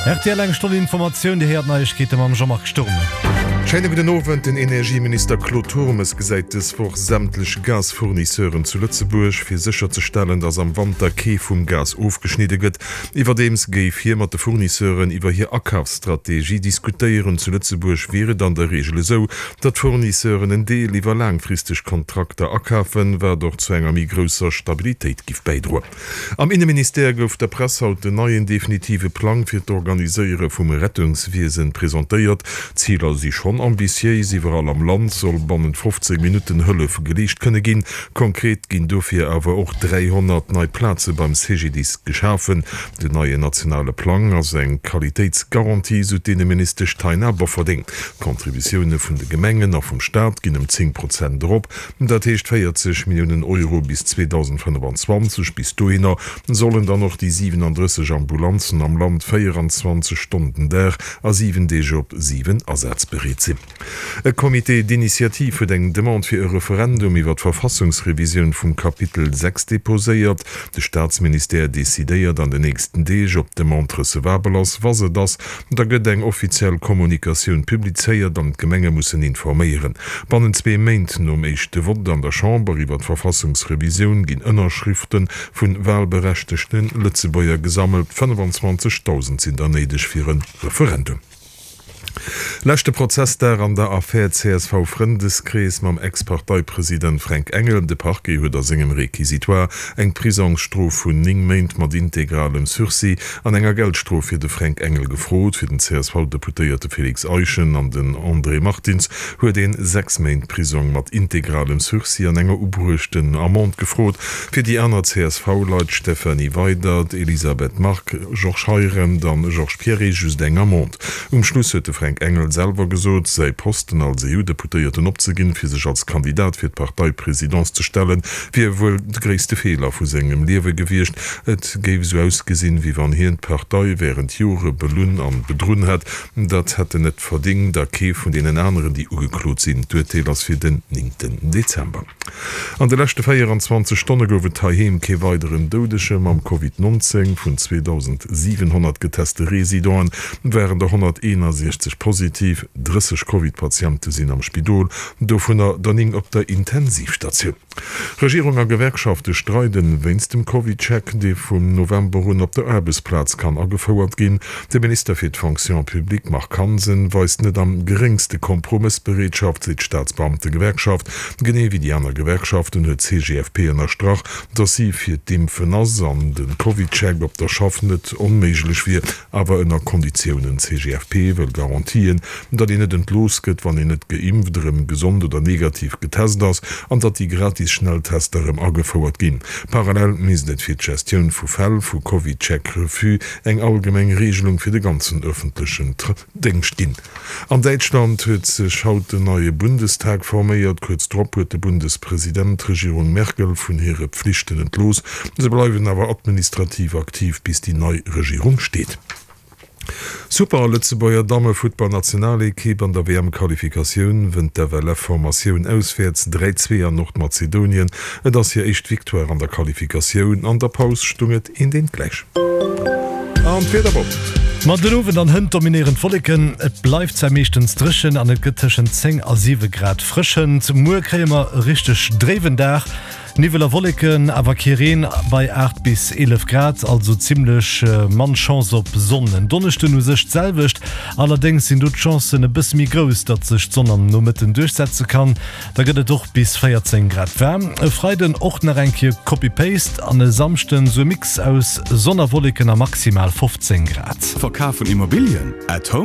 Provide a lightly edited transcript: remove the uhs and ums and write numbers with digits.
Rtl eng Stonn Informatioun, Dir héiert Neiegkeete mam Jean-Marc Sturm. Schéine gudden Owend. Den Energieminister Claude Turmes gesäit dës Woch sämtlech Gasfournisseuren zu Lëtzebuerg, fir sécherzestellen, datt am Wanter kee vum Gas ofgeschnidde gëtt. Iwwerdeems géif hie mat de Fournisseuren iwwer hir Akafsstrategie diskutéieren. Zu Lëtzebuerg wier et an der Reegel esou, datt d'Fournisseuren en Deel iwwer laangfristeg Kontrakter akafen, wat och zu enger méi grousser Stabilitéit giff bäidroen. Am Inneministère gouf der Press haut den neien definitive Plang fir d'Organiséiere vum Rettungswiesen presentéiert. D'Ziler si schonn ambitiéis, Iwwerall am Land soll bannent 15 Minutten Hëllef geleescht kënne ginn. Konkret ginn dofir awer och 300 nei Plaze beim CGDIS geschafen. Den neien nationale Plang ass eng Qualitéitsgarantie, sou d'Inneministesch Taina Bofferding. D'Contributioune vun de Gemengen a vum Staat ginn ëm 10 Prozent erop. Dat heescht 40 Milliounen Euro bis 2025. Bis dohinner sollen dann och déi 37 Ambulanzen am Land 24 Stonnen den Dag a 7 Deeg op 7 asazbereet sinn. E Comité d'initiative huet eng Demande fir e Referendum iwwer d'Verfassungsrevisioun vum Kapitel 6 deposéiert. De Staatsministère decidéiert an den nächsten Deeg, ob d'Demande recevabel ass. Wa se et ass, Da gëtt eng offiziell Kommunikatioun publizéiert an d'Gemenge mussen informéieren. Bannent zwee Méint nom éischte Vott an der Chamber iwwer d'Verfassungsrevisioun ginn Ënnerschrifte vu walberechtegte Lëtzebuerger gesammelt. 25.000 sinn der néideg fir e Referendum. Leschte Prozessdag an der Affär CSV-Frëndeskrees mam Ex-Parteipresident Fränk Engel. De Parquet huet a sengem Réquisitoire eng Prisongsstrof vun 9 Méint mat integralem Sursis An enger Geldstrof fir de Fränk Engel gefrot. Fir den CSV-Deputéierte Félix Eischen an den André Martins huet een 6 Méint Prisong mat integralem Sursis an enger ubruechten Amende gefrot. Fir déi aner CSV-Leit Stéphanie Weydert, Elisabeth Margue, Georges Heirendt an Georges Pierret just eng Amende. Um Schluss huet de Fränk Engel selwer gesot, säi Posten als EU-Deputéierten opzeginn, fir sech als Kandidat fir d'Parteipresidence ze stellen, wier wuel de gréisste Feeler vu sengem Liewe gewiescht. Et géif esou ausgesinn, wéi wann hien d'Partei wärend Jore belunn an bedrunn hätt. Dat hätt en net verdingt, a kee vun deenen aneren, déi ugeklot sinn. D'Urteel ass fir den néngten Dezember. An de leschte 24 Stonne gouf et heiheem kee weideren Doudege mam Covid 19. Vun 2.700 geteste Residenten waren der 161 positiv. 30 Covid-Patiente sinn am Spidol, dovunner der 9 op der Intensivstatioun. Regierung a Gewerkschafte streiden wéinst dem CovidCheck, dee vum November un op der Aarbechtsplaz kann agefouert ginn. De Minister fir d'Fonction publique Marc Hansen weist net am geréngste Kompromëssbereetschaft, seet d'Staatsbeamtegewerkschaft. Genee wéi déi aner Gewerkschaften huet d'CGFP ënnerstrach, datt si fir d'Impfen ass an de CovidCheck op der Schaff net onméiglech wier, awer ënner Konditiounen. D'CGFP wëll Garantien, datt een net entlooss gëtt, wann een net geimpft, erëm gesond oder negativ getest ass an datt déi gratis Schnelltester erëm agefouert ginn. Parallel misst et fir d'Gestioun vu Fäll vu CovidCheck-Refus eng allgemeng Reegelung fir de ganzen ëffentlechen Déngscht ginn. An Däitschland huet sech haut den neie Bundestag forméiert. Kuerz drop huet de Bundespresident d'Regierung Merkel vun hire Pflichten entlooss. Se bleiwen awer administrativ aktiv, bis déi nei Regierung steet. Super Lëtzebuerger Dammefuttballnationalekipp an der WM-Qualifikatioun wënnt d'FLF-Formatioun auswäerts 3, 2 an Nordmazedonien. Et ass hir éischt Victoire an der Qualifikatioun. An der Paus stung et eent eent gläich. An d'Wieder boppt. Ma den Owend an hënt dominéieren d'Wolleken, et bleift zwar meeschtens dréchen an et gëtt tëschent 10 a 7 Grad frëschent. Muer kréie mer e richteg dréiwen Dag. Niwwel a Wolleken, awer kee Reen bei 8 bis 11 Grad, also zimmlech mann Chance op Sonn. En Donneschden u sech d'selwecht, allerdéngs sinn do d'Chancen e bësse méi grouss, datt sech d'Sonn am Nomëtten duerchsetze kann. Da gëtt et och bis 14 Grad waarm. E Freiden och nach eng Kéier Copy-Paste an e Samschden sou e Mix aus Sonn a Wolleken a maximal 15 Grad. Verkaf vun Immobilien? At Home?